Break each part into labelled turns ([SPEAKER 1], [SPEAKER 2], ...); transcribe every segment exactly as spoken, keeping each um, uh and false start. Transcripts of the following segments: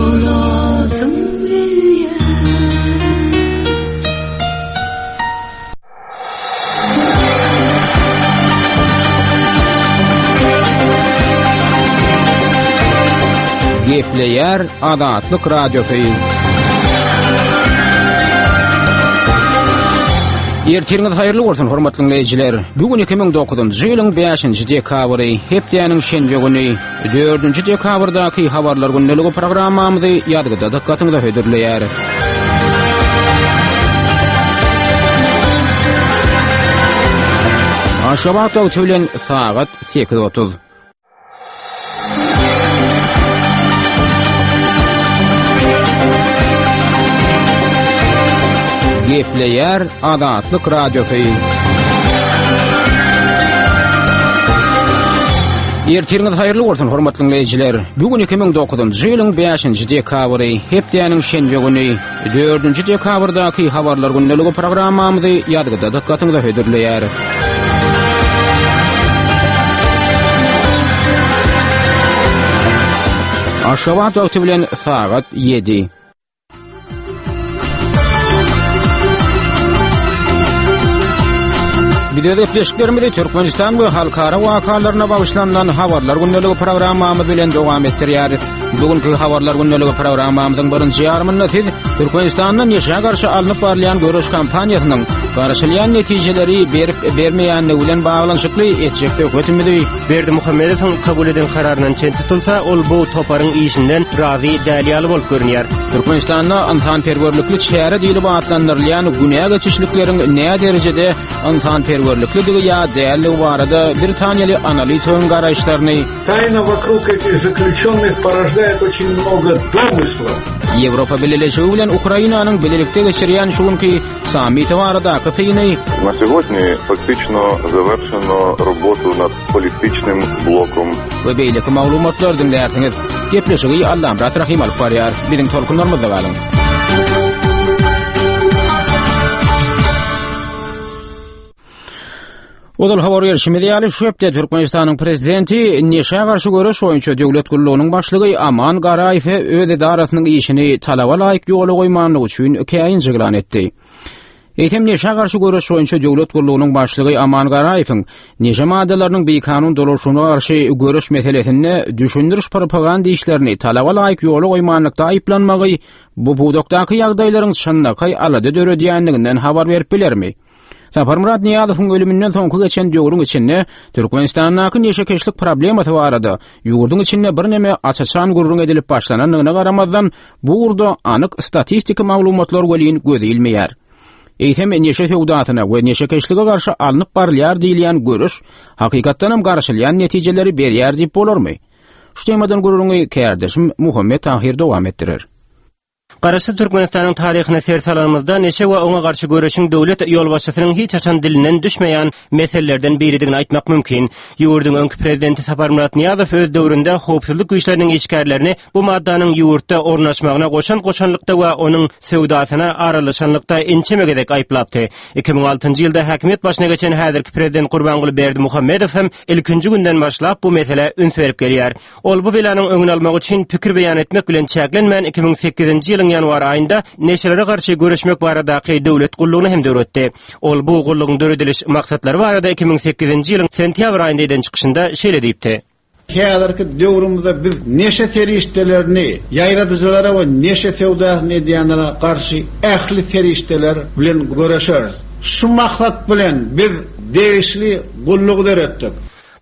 [SPEAKER 1] Bolasym gelýär.
[SPEAKER 2] Gepleýär Azatlyk Radiosy. Ertiriňiz haýyrly bolsun, hormatly diňleýjiler. Bu gün iki müň dokuzynjy ýylyň bäşinji dekabry, hepdäniň şenbe güni, dördünji dekabrdaky habarlar gündeligi programmamyzy ýazgyda dykgatyňyza hödürleýäris. Aşgabat wagty bilen sagat sekiz otuz. Gepleýär Azatlyk Radiosy. Ertiriňiz haýyrly bolsun, hormatly diňleýjiler. Bu gün iki müň dokuzynjy ýylyň bäşinji dekabry, hepdäniň şenbe güni, dördünji dekabrdaky habarlar gündeligi programmamyzy ýazgyda dykgatyňyza hödürleýäris. Aşgabat wagty bilen sagat ýedi. Biz öz gepleşiklerimizi Türkmenistan we halkara wakalaryna bagyşlanylan habarlar gündeligi programmamyz bilen dowam etdirýäris. Bu günkü habarlar gündeligi programmamyzyň birinji ýarymynda siz Türkmenistanda neşä garşy alnyp barylýan göreş kampaniýasynyň garaşylýan netijeleri berip bermeýänligi bilen baglanyşykly etjek söhbetimizi
[SPEAKER 3] Berdimuhamedowyň kabul eden kararyndan çen tutulsa, ol bu toparyň işinden razy däl ýaly bolup görünýär.
[SPEAKER 2] Türkmenistanda ynsanperwerlikli çäre diýlip atlandyrylýan günä geçişlikleriň nä derejede ynsanperwerliklidigi ýa dälligi barada Britaniýaly analitigiň garaýyşlaryny
[SPEAKER 4] Тайна вокруг этих заключенных порождает очень много домыслов.
[SPEAKER 2] Ýewropa Bileleşigi bilen Ukrainanyň bilelikde geçirýän şu günki sammiti baradaky syny
[SPEAKER 5] На сегодня фактично завершено работу над политичным блоком.
[SPEAKER 2] We beýleki maglumatlar diňlärsiňiz. Gepleşigi Allamyrat Rahim alyp barýar. Biziň tolkunlarymyzda galyň. Ozal habar berşimiz ýaly, şu hepde Türkmenistanyň prezidenti neşä garşy göreş boýunça döwlet gullugynyň başlygy Aman Garaýewe öz edarasynyň işini talaba laýyk ýola goýmanlygy üçin käýinç yglan etdi. Eýsem neşä garşy göreş boýunça döwlet gullugynyň başlygy Aman Garaýewiň neşe maddalarynyň bikanun dolaşygyna garşy göreş meselesinde düşündiriş propaganda işlerini talaba laýyk ýola goýmanlykda aýyplanmagy bu pudakdaky ýagdaýlaryň çynlakaý alada döredýänliginden habar berip bilermi? Saparmyrat Nyýazowyň ölüminden soňky geçen döwrüň içinde Türkmenistandaky neşekeşlik problemasy barada ýurduň içinde birneme aç-açan gürrüň edilip başlanandygyna garamazdan, bu ugurda anyk statistiki maglumatlar welin göz ilmeýär. Eýsem neşe söwdasyna we neşekeşlige garşy alnyp barylýar diýilýän görüş hakykatdan hem garaşylýan netijeleri berýär diýip bolarmy? Şu temadan gürrüňi kärdeşim Muhammet Tahir dowam etdirer.
[SPEAKER 3] Garaşsyz Türkmenistanyň taryhyna ser salanymyzda neşe we oňa garşy göreşiň döwlet ýolbaşçysynyň hiç haçan dilinden düşmeýän meselelerden biridigini aýtmak mümkin. Ýurduň öňki prezidenti Saparmyrat Nyýazow öz döwründe howpsuzlyk güýçleriniň işgärlerini bu maddanyň ýurtda ornaşmagyna goşan goşanlykda we onuň söwdasyna aralaşanlykda ençeme gezek aýyplapdy. Iki müň altynjy ýylda häkimiýet başyna geçen häzirki prezident Gurbanguly Berdimuhamedow hem ilkinji günden başlap bu meselä üns berip gelýär. Ol bu belanyň öňüni almak üçin pikir beýan etmek bilen çäklenmän iki müň sekizinji ýylyň ýanwar aýynda neşelere garşy göreşmek baradaky döwlet gullugyny hem döretdi. Ol bu gullugyň dörediliş maksatlary barada iki müň sekizinji ýylyň sentýabr aýynda eden çykyşynda şeýle diýipdi.
[SPEAKER 4] Häzirki döwrümizde biz neşe serişdelerini ýaýradyjylara we neşe söwdasyny edýänlere garşy ähli serişdeler bilen göreşeris. Şu maksat bilen biz degişli gullugy döretdik.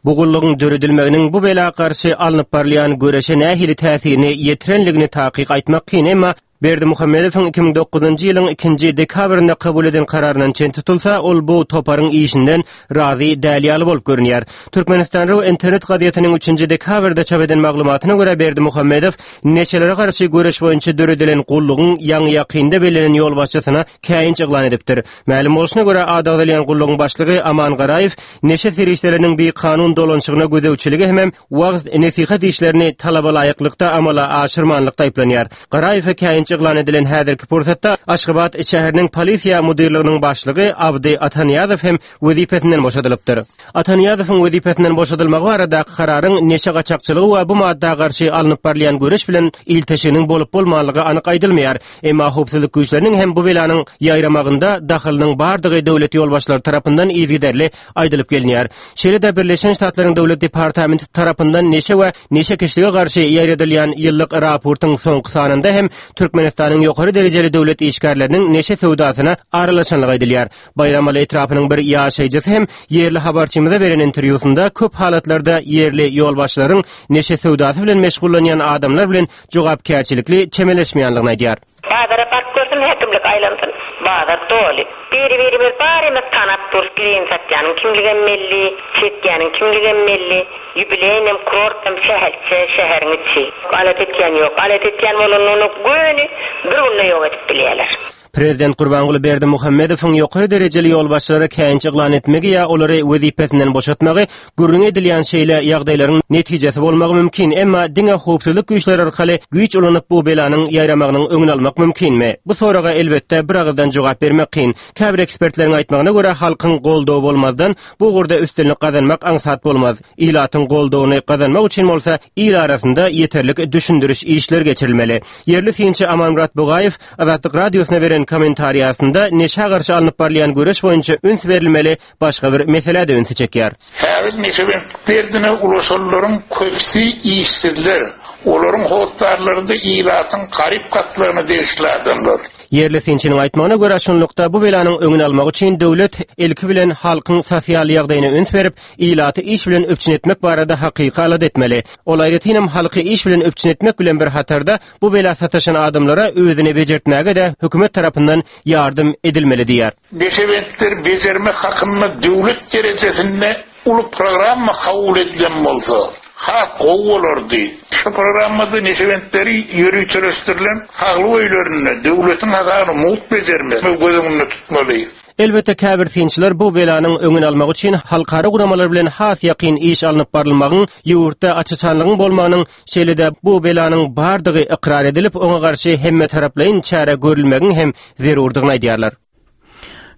[SPEAKER 3] Bu gullugyň döredilmeginiň bu bela garşy alnyp barylýan göreşe nähili täsirini ýetirenligini takyk aýtmak kyn, emma Berdimuhamedowyň iki müň dokuzynjy ýylyň ikinji dekabrynda kabul eden kararyndan çen tutulsa, ol bu toparyň işinden razy däl ýaly bolup görünýär. Türkmenistan Ru internet gazetiniň üçünji dekabrda çap eden maglumatyna görä Berdimuhamedow neşelere garşy göreş boýunça döredilen gullugyň ýaňy ýakynda bellenen ýolbaşçysyna käýinç yglan edipdir. Mälim bolşuna görä ady agzalýan gullugyň başlygy Aman Garaýew neşe serişdeleriniň bikanun dolanşygyna gözegçiligi hemem wagz nesihat işlerini talaba laýyklykda amala aşyrmanlykda aýyplanýar. Garaýewe käýinç käýinç yglan edilen häzirki pursatda Aşgabat şäheriniň polisiýa müdirliginiň başlygy Abdy Atanyýazow hem wezipesinden boşadylypdyr. Atanyýazowyň wezipesinden boşadylmagy baradaky kararyň neşe gaçakçylygy we bu madda garşy alnyp barylýan göreş bilen ilteşiginiň bolup bolmanlygy anyk aýdylmaýar. Emma howpsuzlyk güýçleriniň hem bu belanyň ýaýramagynda dahylynyň bardygy döwlet ýolbaşçylary tarapyndan yzygiderli aýdylyp gelinýär. Şeýle-de Birleşen Ştatlaryň Döwlet Departamenti tarapyndan neşe we neşekeşlige garşy ýaýradylýan ýyllyk raportyň soňky sanynda hem Türkmenistanyň ýokary derejeli döwlet işgärleriniň neşe söwdasyna aralaşanlygy aýdylýar. Baýramaly etrapynyň bir ýaşaýjysy hem ýerli habarçymyza beren interwýusynda köp halatlarda ýerli ýolbaşçylaryň neşe söwdasy bilen meşgullanýan adamlar bilen jogapkärçilikli çemeleşmeýänligini aýdýar.
[SPEAKER 1] Bazara baryp görsün, häkimlik aýlansyn, bazar doly. Biri-birimiz barymyz tanap durus, gireýin satýanyň kimligem belli, çekýäniň kimligem belli. Ýubileýnem, kurortam şäherçe, şäheriň içi. Alat etýän ýok. Alat etýän bolanda göni bir günde ýok edip bilýärler.
[SPEAKER 3] Prezident Gurbanguly Berdimuhamedowyň ýokary derejeli ýolbaşçylara käýinç yglan etmegi ýa olary wezipesinden boşatmagy gürrüň edilýän şeýle ýagdaýlaryň netijesi bolmagy mümkin, emma diňe howpsuzlyk güýçleri arkaly güýç ulanyp bu belanyň ýaýramagynyň öňüni almak mümkinmi? Bu soraga elbetde bir agyzdan jogap bermek kyn. Käbir ekspertleriň aýtmagyna görä halkyň goldawy bolmazdan bu ugurda üstünlik gazanmak aňsat bolmaz. Ilatyň goldawyny gazanmak üçin bolsa il arasynda ýeterlik düşündiriş işler geçirilmeli. Ýerli synçy Amanmurat Bugaýew Azatlyk radiosyna beren kommentariýasynda neşä garşy alnyp barylýan göreş boýunça üns berilmeli başga bir meselä-de ünsi çekýär.
[SPEAKER 6] Häzir neşebentlik derdine ulaşanlaryň köpüsi işsizler, olaryň hossarlary-da ilatyň garyp gatlagyna degişli adamlar.
[SPEAKER 3] Ýerli synçynyň aýtmagyna görä, şunlukda bu belanyň öňüni almak üçin döwlet ilki bilen halkyň sosial ýagdaýyna üns berip, ilaty iş bilen üpjün etmek barada hakyky alada etmeli. Ol aýratynam halky iş bilen üpjün etmek bilen bir hatarda bu bela sataşan adamlara özüni bejertmäge-de hökümet tarapyndan ýardam edilmeli diýýär.
[SPEAKER 6] Neşebentleri bejermek hakynda döwlet derejesinde uly programma kabul edilen bolsa, has gowy bolardy. Şu programmada neşebentleri ýöriteleşdirilen saglyk öýlerinde döwletiň hasabyna mugt bejermek göz öňünde tutmaly.
[SPEAKER 3] Elbetde käbir synçylar bu belanyň öňüni almak üçin halkara guramalar bilen has ýakyn iş alnyp barylmagyň, ýurtda açyşanlygyň bolmagynyň, şeýle-de bu belanyň bardygy ykrar edilip, oňa garşy hemme taraplaýyn çäre görülmegiň hem zerurdygyny aýdýarlar.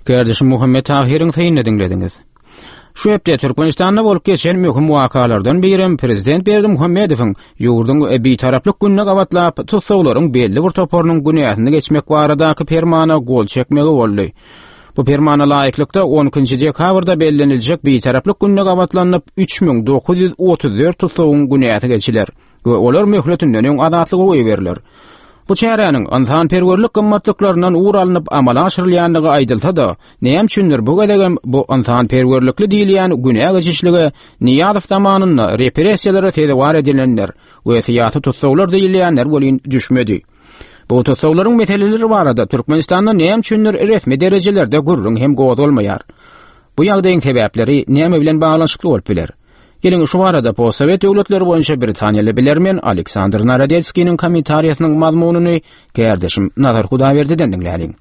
[SPEAKER 2] Kardeşim Muhammet Tahiriň synyny diňlediňiz. Şu hepde Türkmenistanda bolup geçen möhüm wakalardan birem Prezident Berdimuhamedowyň ýurduň bitaraplyk gününe gabatlap tussaglaryň belli bir toparynyň günäsini geçmek baradaky permana gol çekmegi boldy. Bu permana laýyklykda on ikinji dekabrda belleniljek bitaraplyk gününe gabatlanyp üç müň dokuz ýüz otuz dört tussagyň günäsi geçiler we olar möhletinden öň azatlyga goýberiler. Bu çäräniň ynsanperwerlik gymmatlyklaryndan ugur alnyp amala aşyrylýandygy aýdylsa-da, näme üçindir bu gezegem bu ynsanperwerlikli diýilýän günä geçişlige Nyýazow zamanynda repressiýalara sezewar edilenler we syýasy tussaglar diýilýänler welin düşmedi. Bu tussaglaryň meseleleri barada Türkmenistanda näme üçindir resmi derejelerde gürrüň hem gozgalmaýar. Bu ýagdaýyň sebäpleri näme bilen baglanyşykly bolup biler? Geliň şu barada postsovet döwletleri boýunça Britaniýaly bilermen Aleksandr Narodetskiniň kommentariýasynyň mazmunyny kardeşim Nazar Hudaýberdiden diňläliň.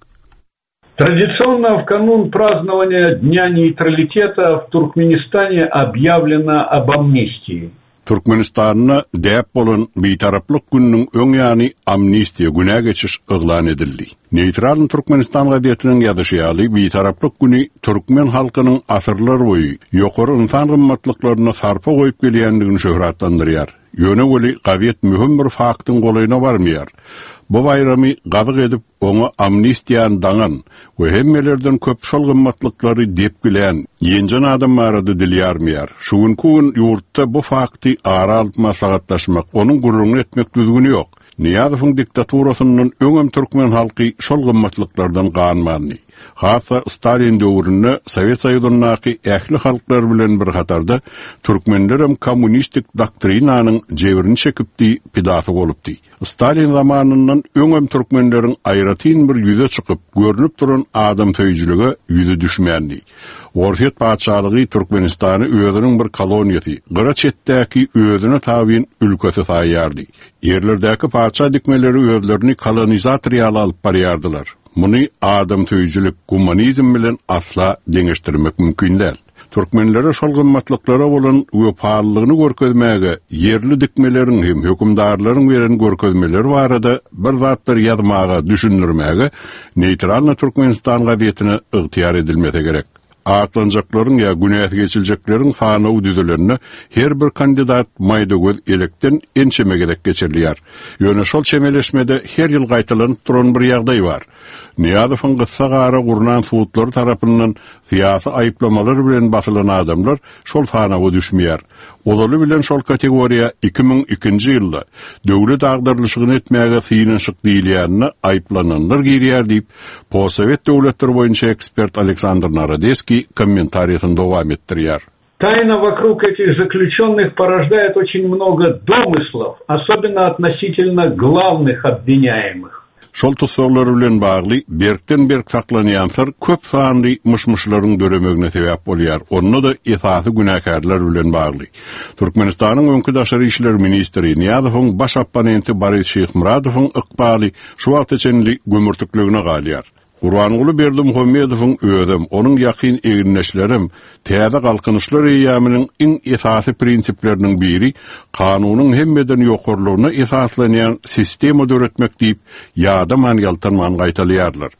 [SPEAKER 7] Традиционно в канун празднования Дня нейтралитета в Туркменистане объявлено об амнистии.
[SPEAKER 8] Türkmenistanda däp bolan bitaraplyk gününiň öň ýany amnistiýa günä geçiş yglan edildi. Neytral Türkmenistan gazetiniň ýazyşy ýaly bitaraplyk güni türkmen halkynyň asyrlar boýy ýokary ynsan gymmatlyklaryna sarpa goýup gelýändigini şöhratlandyrýar. Ýöne weli gazet möhüm bir faktyň golaýyna barmaýar. Bu baýramy gazyk edip oňa amnistiýany daňan we hemmelerden köp şol gymmatlyklary depgilän ýenjen adam barada dil ýarmaýar. Şu günki gün ýurtda bu fakty ara alyp maslahatlaşmak, onuň gürrüňini etmek düzgüni ýok. Nyýazowyň diktaturasyndan öňem türkmen halky şol gymmatlyklardan ganmandy. Hatda Stalin döwründe Sowet Soýuzyndaky ähli halklar bilen bir hatarda türkmenlerem kommunistik doktrinanyň jebrini çekipdi, pidasy bolupdy. Stalin zamanyndan öňem türkmenleriň aýratyn bir ýüze çykyp, görünip duran adam söýüjilige ýüzi düşmändi. Orsýet patyşalygy Türkmenistany özüniň bir koloniýasy, gyra çetdäki özüne tabyn ülkesi saýýardy. Ýerlerdäki patyşa dikmeleri özlerini kolonizator ýaly alyp barýardylar. Muny adam söýüjilik, gumanizm bilen asla deňeşdirmek mümkin däl. Türkmenlere şol gymmatlyklara bolan wepalylygyny görkezmäge ýerli dikmeleriň hem hökümdarlaryň beren görkezmeleri barada bir zatlar ýazmaga, düşündirmäge Neýtralny Türkmenistan gazetine ygtyýar edilmese gerek. Aklanjaklaryň ýa günäsi geçiljekleriň sanawy düzülende her bir kandidat maýda göz elekden ençeme gezek geçirilýär. Ýöne şol çemeleşmede her ýyl gaýtalanyp duran bir ýagdaý bar. Nyýazowyň gyssagara gurnan sudlary tarapyndan syýasy aýyplamalar bilen basylan adamlar şol sanawa düşmeýär. Ozaly bilen şol kategoriýa iki müň ikinji ýylda döwlet agdarylyşygyny etmäge synanyşyk diýilýänine aýyplananlar girýär diýip, postsowet döwletleri boýunça ekspert Aleksandr Narodeskiý kommentariýasyny dowam etdirýär.
[SPEAKER 7] Тайна вокруг этих заключенных порождает очень много домыслов, особенно относительно главных обвиняемых.
[SPEAKER 8] Şol tussaglar bilen bagly berkden berk saklanýan syr köp sanly myş-myşlaryň döremegine sebäp bolýar. Onda-da esasy günäkärler bilen bagly. Türkmenistanyň öňki daşary işler ministri Nyýazowyň baş opponenti Boris Şyhmyradowyň ykbaly şu wagta çenli gömürtikligine galýar. Gurbanguly Berdimuhamedowyň özem, onuň ýakyn egindeşlerem täze galkynyşlar eýýamynyň iň esasy prinsipleriniň biri kanunyň hemmeden ýokarlygyna esaslanýan sistema döretmek diýip, ýadaman ýaltanman gaýtalaýarlar.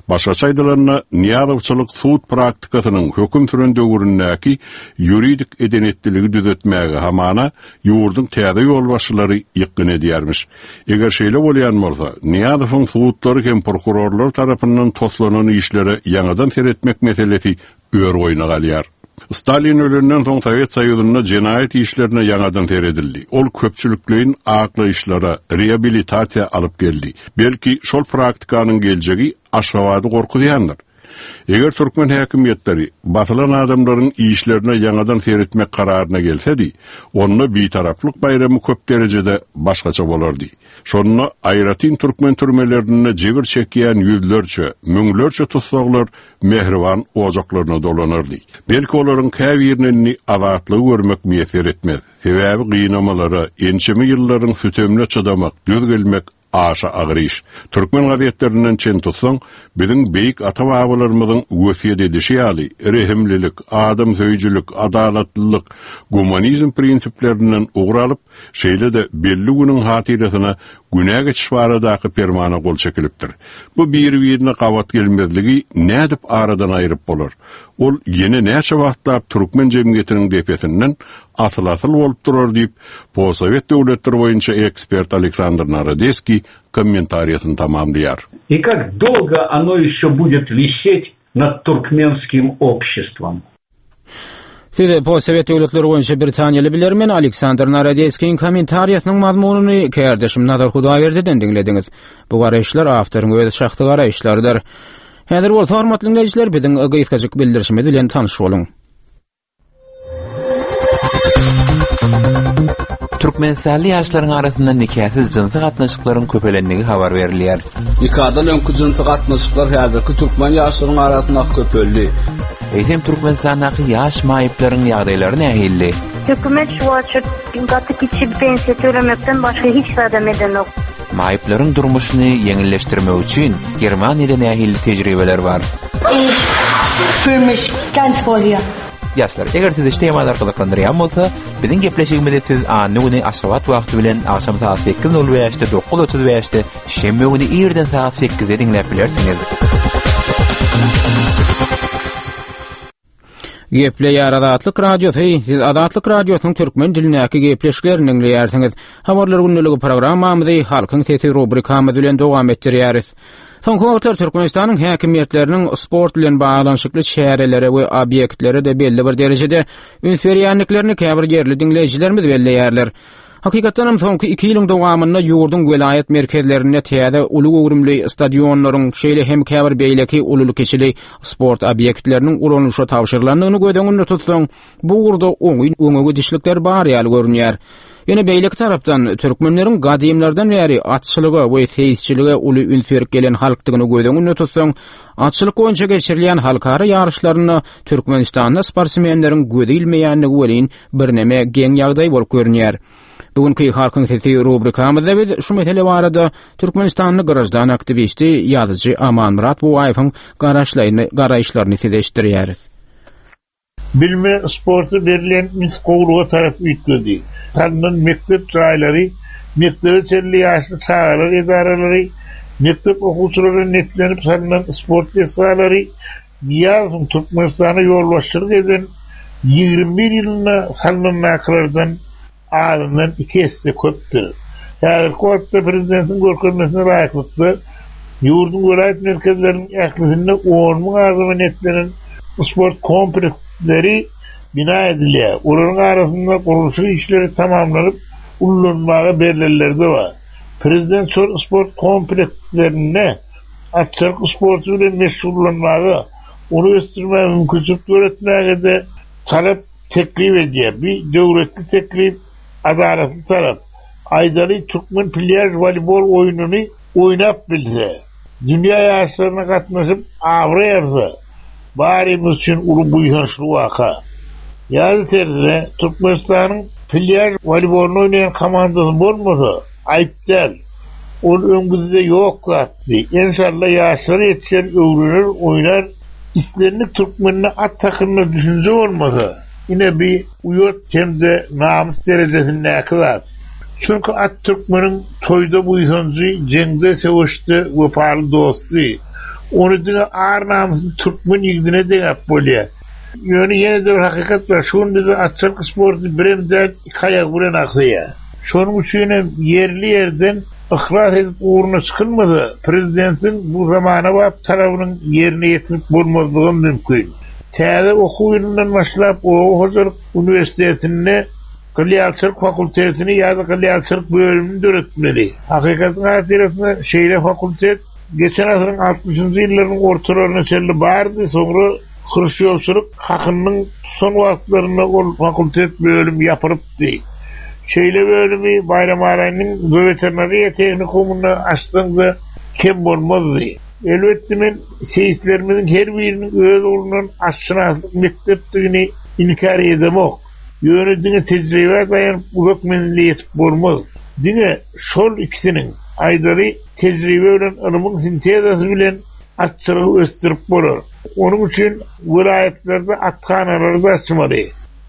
[SPEAKER 8] Başgaça aýdylanda, Nyýazowçylyk sud praktikasynyň höküm süren döwründäki ýuridik edenetdiligi düzetmäge hamana ýurduň täze ýolbaşçylary ýykgyn edýärmiş. Eger şeýle bolýan bolsa, Nyýazowyň sudlary hem prokurorlar tarapyndan toslanan işlere ýaňadan seretmek meselesi ör boýuna galýar. Stalin ölenden soň Sowet Soýuzynda jenaýat işlerine ýaňadan seredildi. Ol köpçülikleýin aklaýyşlara, rehabilitasiýa alyp geldi. Belki şol praktikanyň geljegi Aşgabady gorkuzýandyr. Eger türkmen häkimiýetleri basylan adamlaryň işlerine ýaňadan seretmek kararyna gelsedi, onda bitaraplyk baýramy köp derejede başgaça bolardy. Şonda aýratyn türkmen türmelerinde jebir çekýän ýüzlerçe, müňlerçe tussaglar mehriban ojaklaryna dolanardy. Belki olaryň käbirine indi azatlygy görmek miýesser etmez. Sebäbi gynamalara, ençeme ýyllaryň sütemine çydamak, döz gelmek aşa agyr iş. Türkmen gazetlerinden çen tutsaň, biziň beýik ata-babalarymyzyň wesýet edişi ýaly rehimlilik, adam söýüjilik, adalatlylyk, gumanizm prinsiplerinden ugur alyp, şeýle-de belli günüň hatyrasyna günä geçiş baradaky permana gol çekilipdir. Bu bir-birine gabat gelmezligi nädip aradan aýryp bolar? Ol ýene näçe wagtlap türkmen jemgyýetiniň depesinden asyl-asyl bolup durar diýip, postsowet döwletleri boýunça ekspert Aleksandr Narodeskiý kommentariýasyny tamamlaýar.
[SPEAKER 7] И как долго оно еще будет висеть над туркменским обществом?
[SPEAKER 2] Siz postsowet döwletleri boýunça Britaniýaly bilermen Aleksandr Narodeskiň kommentariýasynyň mazmunyny kärdeşim Nazar Hudaýberdiden diňlediňiz. Bu garaýyşlar awtoryň öz şahsy garaýyşlarydyr. Häzir bolsa hormatly dinleýjiler biziň gysgajyk bildirişimiz bilen tanyş boluň.
[SPEAKER 9] Türkmenistanly ýaşlaryň arasynda nikasyz jynsy gatnaşyklaryň köpelendigi habar berilýär.
[SPEAKER 10] Nikadan öňki jynsy gatnaşyklar häzirki türkmen ýaşlaryň arasynda köpeldi.
[SPEAKER 9] Eýsem Türkmenistandaky ýaş maýyplaryň ýagdaýlary nähili?
[SPEAKER 11] Hökümet şu wagt gaty kiçi pensiýa tölemekden başga hiç zat edenok.
[SPEAKER 9] Maýyplaryň durmuşyny ýeňilleşdirmek üçin Germaniýada nähili tejribeler bar?
[SPEAKER 12] Ich fühle mich ganz wohl hier.
[SPEAKER 9] Ýaşlar, eger sizi şu temalar gyzyklandyrýan bolsa, biziň gepleşigimizi siz anna güni Aşgabat wagty bilen agşam saat sekiz nol bäşde, dokuz otuz bäşde, şenbe güni irden saat sekizde diňläp bilersiňiz.
[SPEAKER 2] Gepleýär Azatlyk Radiosy, siz Azatlyk Radiosynyň türkmen dilindäki gepleşiklerini diňleýärsiňiz. Habarlar gündeligi programmamyzy Halkyň sesi rubrikamyz bilen dowam etdirýäris. Soňky wagtlar Türkmenistanyň häkimiýetleriniň sport bilen baglanyşykly çärelere we obýektlere de belli bir derejede üns berýändiklerini käbir ýerli diňleýjilerimiz belleýärler. Hakykatdan hem soňky iki ýylyň dowamynda ýurduň welaýat merkezlerinde täze uly göwrümli stadionlaryň, şeýle hem käbir beýleki ululy-kiçili sport obýektleriniň ulanylyşa tabşyrylandygyny göz öňünde tutsaň, bu ugurda oňyn öňe gidişlikler bar ýaly görünýär. Ýene beýleki tarapdan türkmenleriň gadymlardan bäri atçylyga we seýisçilige uly üns berip gelen halkdygyny göz öňünde tutsaň, atçylyk boýunça geçirilýän halkara ýaryşlarynda Türkmenistanda sportsmenleriň gözi ilmeýändigi welin birneme geň ýagdaý bolup görünýär. Bugünkü Halkyň sesi rubrikamyzda biz şu mesele barada Türkmenistanly grajdan aktiwisti ýazyjy Amanmyrat Buwaýewiň garaşlaryny, garaýyşlaryny size eşitdirýäris.
[SPEAKER 6] Bilime, sporta berilen üns gowluga tarap üýtgedi. Salnan mekdep jaýlary, mekdebe çenli ýaşly çagalar edaralary, mekdep okuwçylaryna niýetlenip salnan sport desgalary Nyýazowyň Türkmenistana ýolbaşçylyk eden ýigrimi bir ýylynda salnandakylardan azyndan iki esse köpdür. Häzirki wagtda prezidentiň görkezmesine laýyklykda ýurduň welaýat merkezleriniň ählisinde on müň adama niýetlenen sport kompleksleri bina edilýär. Olaryň arasynda gurluşyk işleri tamamlanyp ullanmaga berlenleri-de bar. Prezident şol sport komplekslerinde atçylyk sporty bilen meşgullanmaga, ony ösdürmäge mümkinçilik döretmäge-de talap teklip edýär. Bir döwletli teklip, adalatly talap. Aýdaly türkmen plýaž woleýbol oýnuny oýnap bilse, dünýä ýaryşlaryna gatnaşyp abraý alsa, barymyz üçin uly buýsançly waka. Ýa-da tersine, Türkmenistanyň plýaž woleýbolyny oýnaýan komandasy bolmasa, aýyp däl. Ol öň bizde ýok zatdy. Enşalla ýaşlar ýetişer, öwrener, oýnar. Islendik türkmende at hakynda düşünje bolmasa, ine bir uýat hem-de namys derejesindäki zat. Çünki at türkmeniň toýda buýsanjy, jeňde, söweşde wepaly dosty. Ony diňe ar-namysly türkmen ýigdine deňäp bolýar. Ýöne ýene-de bir hakykat bar, şu gün bizde atçylyk sporty birem däl, iki aýagy bilen agsaýar. Şonuň üçin hem ýerli-ýerden yhlas edip ugruna çykylmasa, prezidentiň bu zamanabap talabynyň ýerine ýetirip bolmazlygam mümkin. Täze okuw ýylyndan başlap oba hojalyk uniwersitetinde gylýalçylyk fakultetini ýa-da gylýalçylyk bölümini döretmeli. Hakykatyň hatyrasyna şeýle fakultet geçen asyryň altmyşynjy ýyllarynyň ortalaryna çenli bardy, soňra Hruşýowçylyk hakynyň tutan wagtlarynda ol fakultet bölümi ýapylypdy. Şeýle bölümi Baýramaraýynyň zooveterinariýa tehnikumynda açsaň-da kem bolmazdy. Elbetde men seýislerimiziň her biriniň öz ugrundan atşynaslyk mekdepdigini inkär edemok. Ýöne diňe tejribä daýanyp uzak menzile ýetip bolmaz. Diňe şol ikisiniň, aýdaly tejribe bilen ylmyň sintezasy bilen atçylygy ösdürip bolar. Onuň üçin welaýatlarda athanalary da açmaly.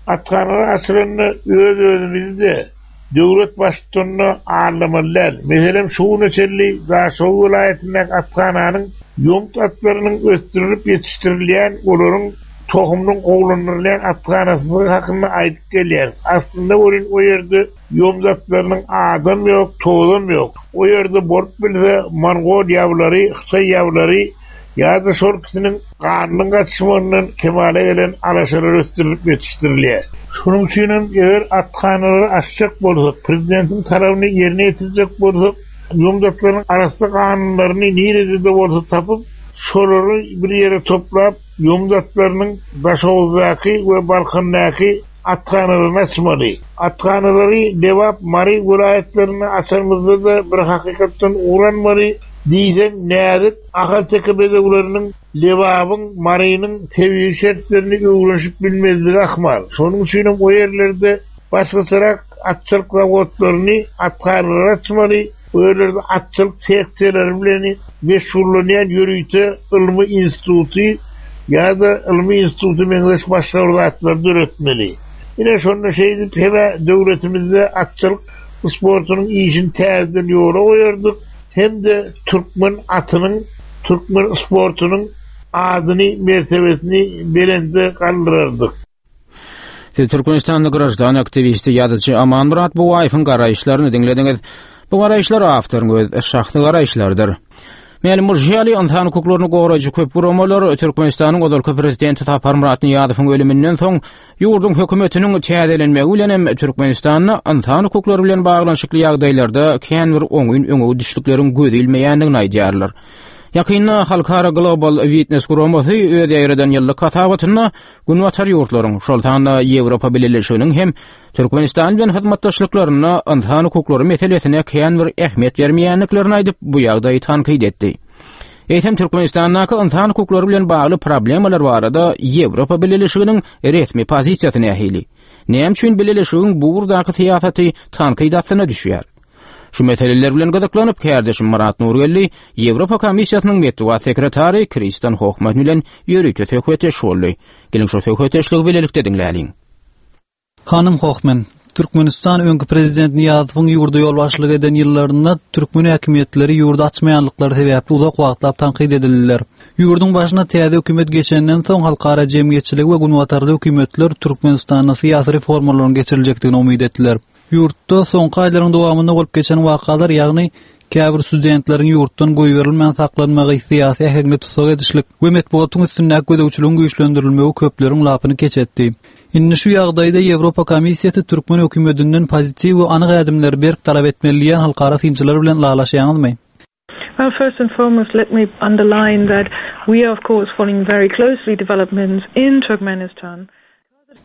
[SPEAKER 6] Athanalar açylanda öz-özümizi-de döwlet baştutanyna aldamaly däl. Meselem, şu güne çenli Daşoguz welaýatyndaky athananyň ýomut atlarynyň ösdürilip ýetişdirilýän, olaryň tohumynyň gowulandyrylýan athanasy hakynda aýdyp gelýäris. Aslynda welin o ýerde ýomut atlarynyň adam ýok, tozam ýok. O ýerde bolup bilse mongol ýawlary, hytaý ýawlary ýa-da şol ikisiniň ganynyň gatyşmagyndan kemala gelen alaşalar ösdürilip ýetişdirilýär. Şonuň üçin hem eger athanalary açjak bolsak, prezidentiň talabyny ýerine ýetirjek bolsak, ýomut atlarynyň arassa ganunlaryny nirede-de bolsa tapyp, şolary bir ýere toplap, ýomut atlarynyň Daşoguzdaky we Balkandaky athanalaryny açmaly. Athanalary Lebap, Mary welaýatlarynda açanymyzda-da bir hakykatdan ugur almaly. Diýseň näzik Ahalteke bedewleriniň Lebabyň, Marynyň tebigy şertlerini öwrenişip bilmezligi ahmal. Şonuň üçin hem o ýerlerde başgaçarak atçylyk zawodlaryny, athanalary açmaly. O ýerlerde atçylyk seksiýalary bilen meşgullanýan ýörite ylmy instituty ýa-da ylmy instituty meňzeş başga bir zatlary döretmeli. Ine şonda şeýdip hem döwletimizde atçylyk sportunyň işini täzeden ýola goýardyk. Hem-de türkmen atynyň, türkmen sportunyň adyny, mertebesini belende galdyrardyk.
[SPEAKER 2] Siz Türkmenistanly graždan aktiwisti ýazyjy Amanmyrat Bugaýewiň garaýyşlaryny diňlediňiz. Bu garaýyşlar awtoryň öz şahsy garaýyşlarydyr. Mälim bolşy ýaly, ynsan hukuklaryny goraýjy köp guramalar Türkmenistanyň ozalky prezidenti Saparmyrat Nyýazowyň ölüminden soň ýurduň hökümetiniň täzelenmegi bilen hem Türkmenistanda ynsan hukuklary bilen baglanyşykly ýagdaýlarda kän bir oňyn öňe gidişlikleriň göz ilmeýändigini aýdýarlar. Ýakynda Halkara Global Witness guramasy öz ýaýradan ýyllyk hasabatynda Günbatar ýurtlaryň, şol sanda Ýewropa Bileleşiginiň hem Türkmenistan bilen hyzmatdaşlyklarynda ynsan hukuklary meselesine kän bir ähmiýet bermeýändiklerini aýdyp, bu ýagdaýy tankyt etdi. Eýsem Türkmenistandaky ynsan hukuklary bilen bagly problemalar barada Ýewropa Bileleşiginiň resmi pozisiýasy nähili? Näme üçin Bileleşigiň bu ugurdaky syýasaty tankyt astyna düşýär? Şu meseleler bilen gyzyklanyp kärdeşim Myrat Nurgeldi Ýewropa Komissiýasynyň metbugat sekretary Kristin Hohmann bilen ýörite söhbetdeş boldy. Geliň şu söhbetdeşligi bilelikde diňläliň.
[SPEAKER 13] Hanym Hohmann, Türkmenistan öňki prezident Nyýazowyň ýurda ýolbaşçylyk eden ýyllarynda türkmen häkimiýetleri ýurdy açmaýanlyklary sebäpli uzak wagtlap tankyt edildiler. Ýurduň başyna täze hökümet geçenden soň halkara jemgyýetçiligi we günbatarly hökümetler Türkmenistanda syýasy reformalaryň geçiriljekdigine umyt etdiler. Ýurtda soňky aýlaryň dowamynda bolup geçen wakalar, ýagny käbir studentleriň ýurtdan goýberilmän saklanmagy, syýasy äheňli tussag edişlik we metbugatyň üstündäki gözegçiligiň güýçlendirilmegi köpleriň lapyny keç etdi. Indi şu ýagdaýda Ýewropa Komissiýasy türkmen hökümetinden pozitiw we anyk ädimleri berk talap etmeli diýen halkara synçylar bilen ylalaşýaňyzmy?
[SPEAKER 14] Well, first and foremost, let me underline that we are, of course, following very closely developments in Turkmenistan.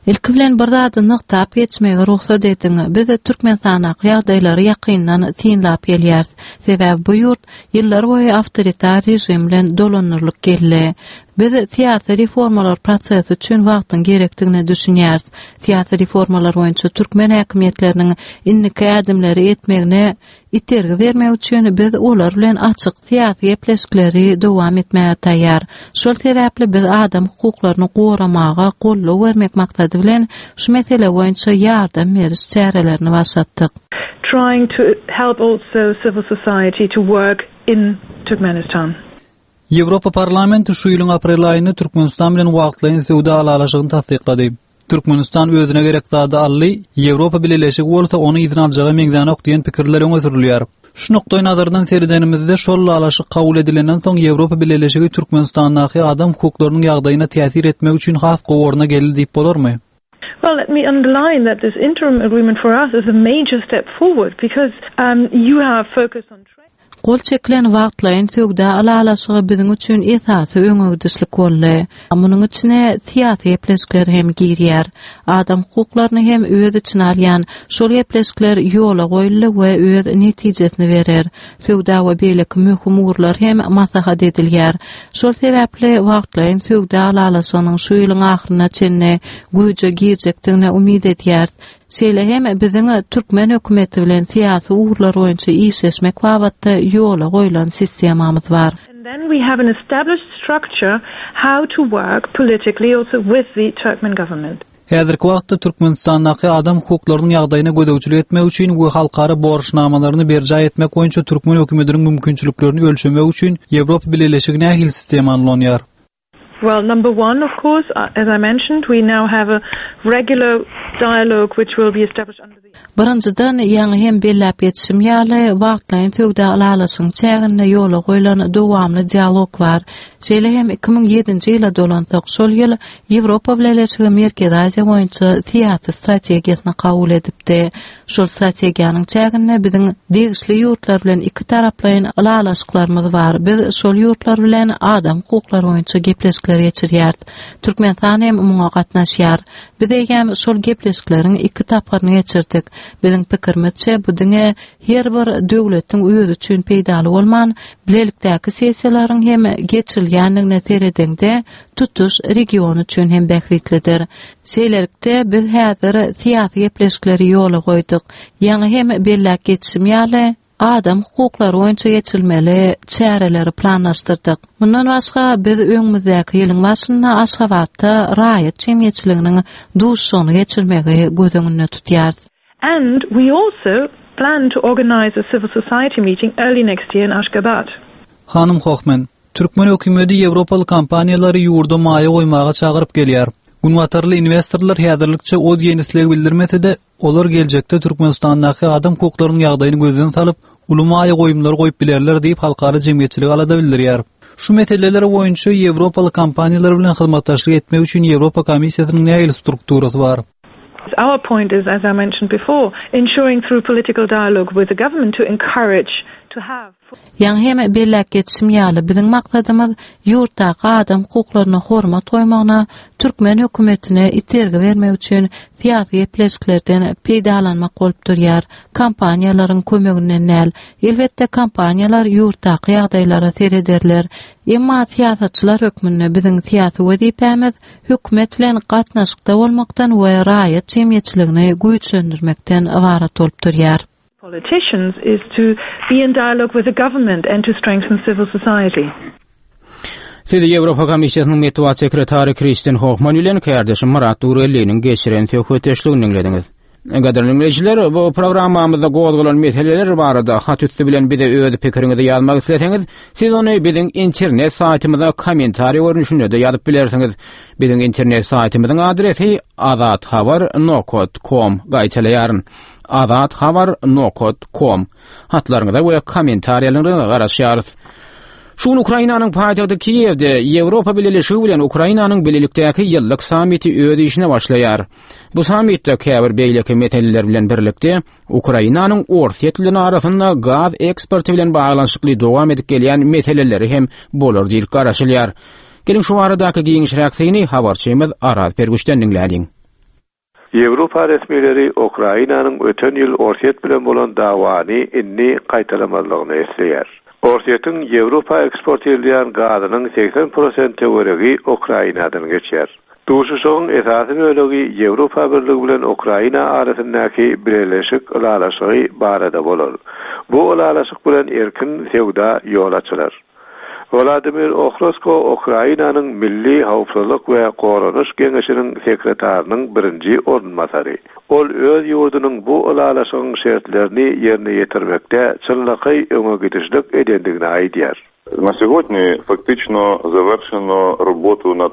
[SPEAKER 15] Ilki bilen bir zady nygtap geçmegi rugsat ediň. Biz Türkmenistandaky ýagdaýlary ýakyndan synlap gelýäris. Sebäbi bu ýurt ýyllar boýy awtoritar režim bilen dolandyrylyp geldi. Biz syýasy reformalar prosesi üçin wagtyň gerekdigine düşünýäris. Syýasy reformalar boýunça türkmen häkimiýetleriniň indiki ädimleri etmegine itergi bermek üçin biz olar bilen açyk syýasy gepleşikleri dowam etmäge taýýar. Şol sebäpli biz adam hukuklaryny goramaga goldaw bermek maksady bilen şu mesele boýunça ýardam beriş çärelerini başlatdyk.
[SPEAKER 14] Trying to help also civil society to work in Turkmenistan.
[SPEAKER 13] Ýewropa Parlamenti şu ýylyň aprel aýynda Türkmenistan bilen wagtlaýyn söwda ylalaşygyny tassyklady. Türkmenistan özüne gerek zady aldy, Ýewropa Bileleşigi bolsa ony yzyna aljaga meňzänok diýen pikirler öňe sürülýär. Şu nukdaý nazardan seredenimizde şol ylalaşyk kabul edilenden soň Ýewropa Bileleşigi Türkmenistandaky adam hukuklarynyň ýagdaýyna täsir etmek üçin has gowy orna geldi diýip bolarmy?
[SPEAKER 14] Well, let me underline that this interim agreement for us is a major step forward because um, you have focused on trade.
[SPEAKER 15] Gol çekilen wagtlaýyn söwda ylalaşygy biziň üçin esasy öňegidişlik boldy. Munuň içine syýasy gepleşikler hem girýär. Adam hukuklaryny hem öz içine alýan şol gepleşikler ýola goýuldy we öz netijesini berer. Söwda we beýleki möhüm ugurlar hem maslahat edilýär. Şol sebäpli wagtlaýyn söwda ylalaşygynyň şu ýylyň ahyryna çenli güýje girjekdigine umyt edýäris. Şeýle hem biziň türkmen hökümeti bilen syýasy ugurlar boýunça işleşmek babatda ýola goýlan sistemamyz bar.
[SPEAKER 14] And then we have an established structure how to work politically also with the Turkmen government.
[SPEAKER 13] Häzirki wagtda Türkmenistandaky adam hukuklarynyň ýagdaýyna gözegçilik etmek üçin we halkara borçnamalaryny berjaý etmek boýunça türkmen hökümetiniň mümkinçiliklerini ölçemek üçin Ýewropa Bileleşigi nähili sistemany ulanýar?
[SPEAKER 14] Well, number one, of course, uh, as I mentioned, we now have a regular dialogue which will be established under the
[SPEAKER 15] Birinjiden, ýaňy hem belläp geçişim ýaly, wagtlaýyn söwda ylalaşygyň çäginde ýola goýlan dowamly dialog bar. Şeýle hem iki müň ýedinji ýyla dolansak, şol ýyl Ýewropa Bileleşigi Merkezi Aziýa boýunça syýasy strategiýasyny kabul edipdi. Şol strategiýanyň çäginde biziň degişli ýurtlar bilen iki taraplaýyn ylalaşyklarymyz bar. Biz şol ýurtlar bilen adam hukuklary boýunça gepleşikler geçirýäris. Türkmenistan hem muňa gatnaşýar. Biz eýýäm şol gepleşikleriň iki tapgyryny geçirdik. Biziň pikirimizçe bu diňe her bir döwletiň özi üçin peýdaly bolman, bilelikdäki sessiýalaryň hem geçirilýändigine seredeňde tutuş region üçin hem bähbitlidir. Şeýlelikde biz häzir syýasy gepleşikleri ýola goýduk. Ýaňy hem belläp geçişim ýaly, adam hukuklary boýunça geçirilmeli çäreleri planlaşdyrdyk. Mundan başga biz öňümizdäki ýylyň başynda Aşgabatda raýat jemgyýetçiliginiň duşuşygyny geçirmegi göz öňünde tutýarys.
[SPEAKER 14] And we also plan to organize a civil society meeting early next year in Ashgabat.
[SPEAKER 13] Hanym Hohmann, türkmen hökümeti Ýewropaly kompaniýalary ýurda maýa goýmaga çagyryp gelýär. Günbatarly investorlar häzirlikçe o diýen isleg bildirmese-de, olar geljekde Türkmenistandaky adam hukuklarynyň ýagdaýyny gözden salyp, uly maýa goýumlary goýup bilerler diýip halkara jemgyýetçiligi alada bildirýär. Şu meseleler boýunça Ýewropaly kompaniýalar bilen hyzmatdaşlyk etmek üçin Ýewropa Komissiýasynyň nähili strukturasy bar?
[SPEAKER 14] Our point is, as I mentioned before, ensuring through political dialogue with the government to encourage to have
[SPEAKER 15] Ýaňy hem belläp geçişim ýaly, biziň maksadymyz ýurtdaky adam hukuklaryna hormat goýmagyna türkmen hökümetine itergi bermek üçin syýasy gepleşiklerden peýdalanmak bolup durýar. Kompaniýalaryň kömeginden däl. Elbetde kompaniýalar ýurtdaky ýagdaýlara serederler. Emma syýasatçylar hökmünde biziň syýasy wezipämiz hökümet bilen gatnaşykda bolmakdan we raýat jemgyýetçiligini güýçlendirmekden ybarat bolup durýar.
[SPEAKER 14] Politicians is to be in dialogue with the government and to strengthen civil society.
[SPEAKER 2] Siz Ýewropa Komissiýasynyň metbugat sekretary Kristin Hohman bilen kärdeşim Myrat Nurelliniň geçiren söhbetdeşligini diňlediňiz. Gadyrly dinleýjiler, bu programmamyzda gozgalan meseleler barada hat üsti bilen bize öz pikiriňizi ýazmak isleseňiz, siz ony biziň internet saýtymyza kommentariý görnüşinde-de ýazyp bilersiňiz. Biziň internet saýtymyzyň adresi azathabar nokta com. Gaýtalaýaryn. azathabar nokta com. Hatlaryňyza we kommentariýalaryňyza garaşýarys. Şu gün Ukrainanyň paýtagty Kiýewde Ýewropa Bileleşigi bilen Ukrainanyň bilelikdäki ýyllyk sammiti öz işine başlaýar. Bu sammitde käbir beýleki meseleler bilen birlikde Ukrainanyň Orsýet bilen arasynda gaz eksporty bilen baglanyşykly dowam edip gelýän meseleleri hem bolar diýlip garaşylýar. Geliň şu baradaky giňişräk syny habarçymyz Araz Pergüşden diňläliň.
[SPEAKER 16] Ýewropa resmileri Ukrainanyň öten ýyl Orsýet bilen bolan dawany indi gaýtalamazlygyny isleýär. Orsýetiň Ýewropa eksport edilýän gazynyň segsen prosent töweregi Ukrainadan geçýär. Duşuşygyň esasy bölegi Ýewropa Birligi bilen Ukraina arasyndaky bileleşik ylalaşygy barada bolar. Bu ylalaşyk bilen erkin söwda ýol açylar. Wladimir Ohrosko Ukrainanyň Milli Howpsuzlyk we Goranyş Geňeşiniň sekretarynyň birinji orunbasary. Ol öz ýurdunyň bu ylalaşygyň şertlerini ýerine ýetirmekde çynlakaý öňe gidişlik edendigini aýdýar.
[SPEAKER 5] Na сегодня фактично завершено работу над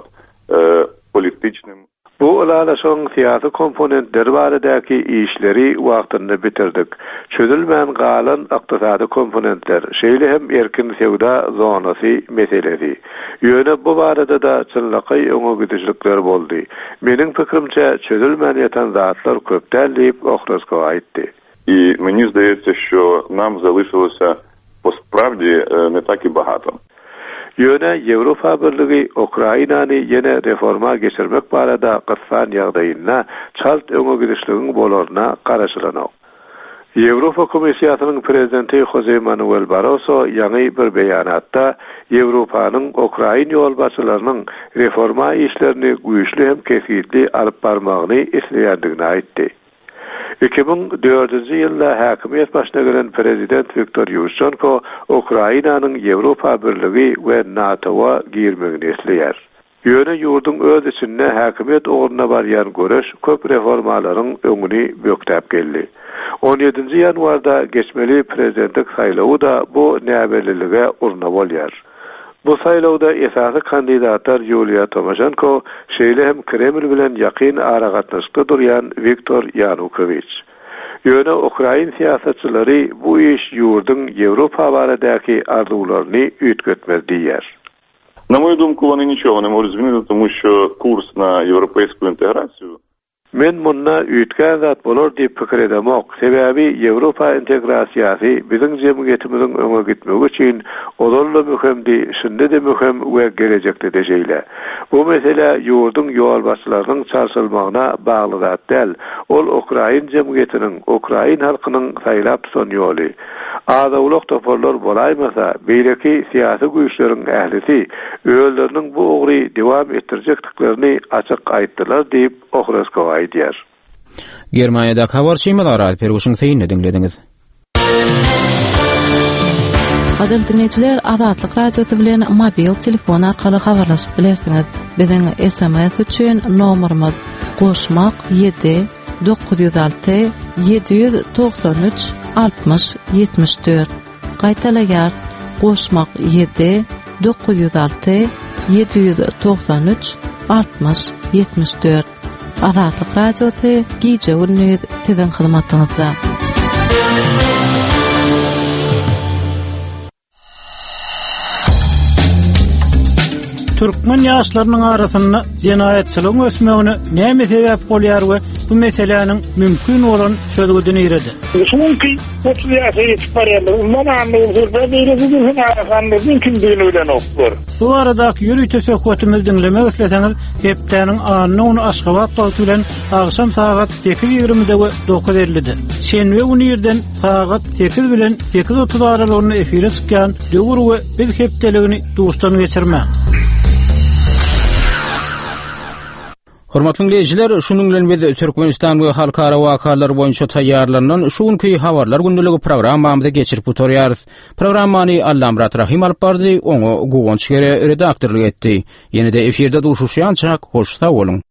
[SPEAKER 5] политичным
[SPEAKER 16] Bu ylalaşygyň syýasy komponentleri baradaky işleri wagtynda bitirdik. Çözülmän galan ykdysady komponentler, şeýle hem erkin söwda zonasy meselesi. Ýöne bu barada da çynlakaý öňe gidişlikler boldy. Meniň pikrimçe çözülmän ýatan zatlar köp däl diýip Ohrosko aýtdy.
[SPEAKER 5] И мені здається, що нам залишилося по справді не так і багато.
[SPEAKER 16] Ýöne Ýewropa Birligi Ukrainany ýene reforma geçirmek barada gyssan ýagdaýyna çalt öňe gidişligiň bolaryna garaşylanok. Ýewropa Komissiýasynyň prezidenti Jose Manuel Barroso ýaňy bir beýanatda Ýewropanyň Ukrain ýolbaşçylarynyň reforma işlerini güýçli hem kesgitli alyp barmagyny isleýändigini aýtdy. Iki müň dördünji ýylda häkimiýet başyna gelen prezident Wiktor Ýuşçenko Ukrainanyň Ýewropa Birligi we NATO-a girmegini isleýär. Ýöne ýurduň öz içinde häkimiýet ugruna barýan göreş köp reformalaryň öňüni bökdäp geldi. On ýedinji ýanwarda geçmeli prezidentlik saýlawy da bu näbellilige urna bolýar. Bu saýlawda esasy kandidatlar Ýuliýa Tomaşenko, şeýle hem Kreml bilen ýakyn aragatnaşykda durýan Wiktor Ýanukowiç. Ýöne Ukrain syýasatçylary bu iş ýurduň Ýewropa baradaky arzuwlaryny üýtgetmez diýýär.
[SPEAKER 5] На мою думку, вони нічого не можуть змінити, тому що курс на європейську інтеграцію
[SPEAKER 16] Men munda üýtgän zat bolar diýip pikir edemok. Sebäbi Ýewropa integrasiýasy biziň jemgyýetimiziň öňe gitmegi üçin ozal-da möhümdi, şindi-de möhüm we gelejekde-de şeýle. Bu mesele ýurduň ýolbaşçylarynyň çalşylmagyna bagly zat däl. Ol Ukrain jemgyýetiniň, Ukrain halkynyň saýlap tutan ýoly. Azawlak toparlar bolaýmasa, beýleki syýasy güýçleriň ählisi özleriniň bu ugry dowam etdirjekdiklerini açyk aýtdylar diýip Ohrosko aýdýar.
[SPEAKER 2] Germaniýada habarçymyz Aral Perguşyň synyny diňlediňiz.
[SPEAKER 15] Gadyrly dinleýjiler, Azatlyk Radiosy bilen mobil telefon arkaly habarlaşyp bilersiňiz. Biziň S M S üçin nomerimiz goşmak ýedi dokuz ýüz alty ýedi ýüz togsan üç altmyş ýetmiş dört. Gaýtalaýar, goşmak ýedi dokuz ýüz alty ýedi ýüz togsan üç altmyş ýetmiş dört. Azatlyk Radiosy gije gündüz siziň hyzmatyňyzda.
[SPEAKER 17] Türkmen ýaşlarynyň arasynda jenaýatçylygyň ösmegine näme sebäp bolýar we bu meseläniň mümkin bolan çözgüdini nirede?
[SPEAKER 6] Çünki otuz ýaşa ýetip barýarlar. Ondan anlaýan bir beýleki bir arasanlar kimdigini bilenoklar.
[SPEAKER 17] Bu aradaky ýörite söhbetimizi diňlemek isleseňiz, hepdäniň anna güni Aşgabat wagty bilen agşam sagat sekiz ýigrimide we dokuz ellide. Şenbe güni irden sagat sekiz bilen sekiz otuz aralygynda efire çykýan Döwür we Biz hepdeligini duşdan geçirme.
[SPEAKER 2] Hormatly dinleýjiler, şunuň bilen biz Türkmenistan we halkara wakalar boýunça taýýarlanan şu günki habarlar gündeligi programmamyzy geçirip gutarýarys. Programmany Allamyrat Rahym alyp bardy, oňa Guwanç Gere redaktorlyk etdi. Ýene-de efirde duşuşýançak, hoş sag boluň.